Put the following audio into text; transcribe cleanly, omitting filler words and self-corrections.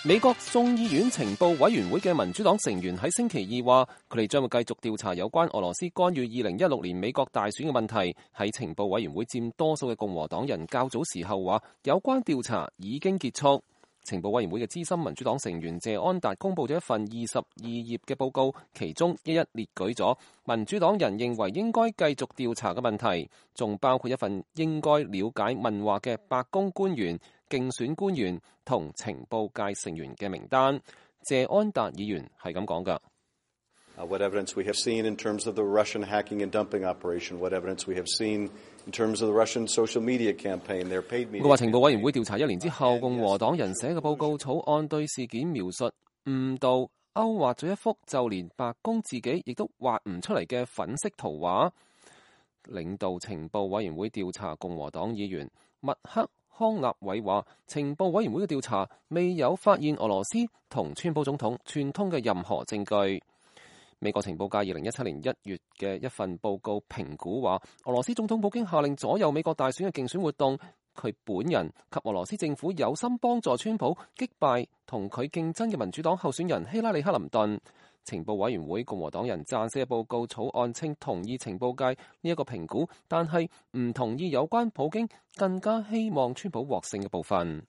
美國眾議院情報委員會嘅民主黨成員喺星期二話，佢哋將會繼續調查有關俄羅斯干預2016年美國大選嘅問題。喺情報委員會佔多數嘅共和黨人較早時候話，有關調查已經結束。情報委員會嘅資深民主黨成員謝安達公佈咗一份22頁嘅報告，其中一一列舉咗民主黨人認為應該繼續調查嘅問題，仲包括一份應該了解問話嘅白宮官員、競選官員同情報界成員嘅名單。謝安達議員係咁講㗎。What evidence we have seen in terms of the Russian hacking and dumping operation? What evidence we have seen in terms of the Russian social media campaign? Their paid media. 佢話情報委員會調查1年之後，共和黨人寫嘅報告草案對事件描述誤導、勾畫咗一幅就連白宮自己亦都畫唔出嚟嘅粉色圖畫。領導情報委員會調查共和黨議員麥克康納偉話，情報委員會嘅調查未有發現俄羅斯同川普總統串通嘅任何證據。美國情報界2017年1月嘅一份報告評估話，俄羅斯總統普京下令左右美國大選嘅競選活動，佢本人及俄羅斯政府有心幫助川普擊敗同佢競爭嘅民主黨候選人希拉里克林頓。情報委員會共和黨人撰寫嘅報告草案稱同意情報界呢一個評估，但係唔同意有關普京更加希望川普獲勝嘅部分。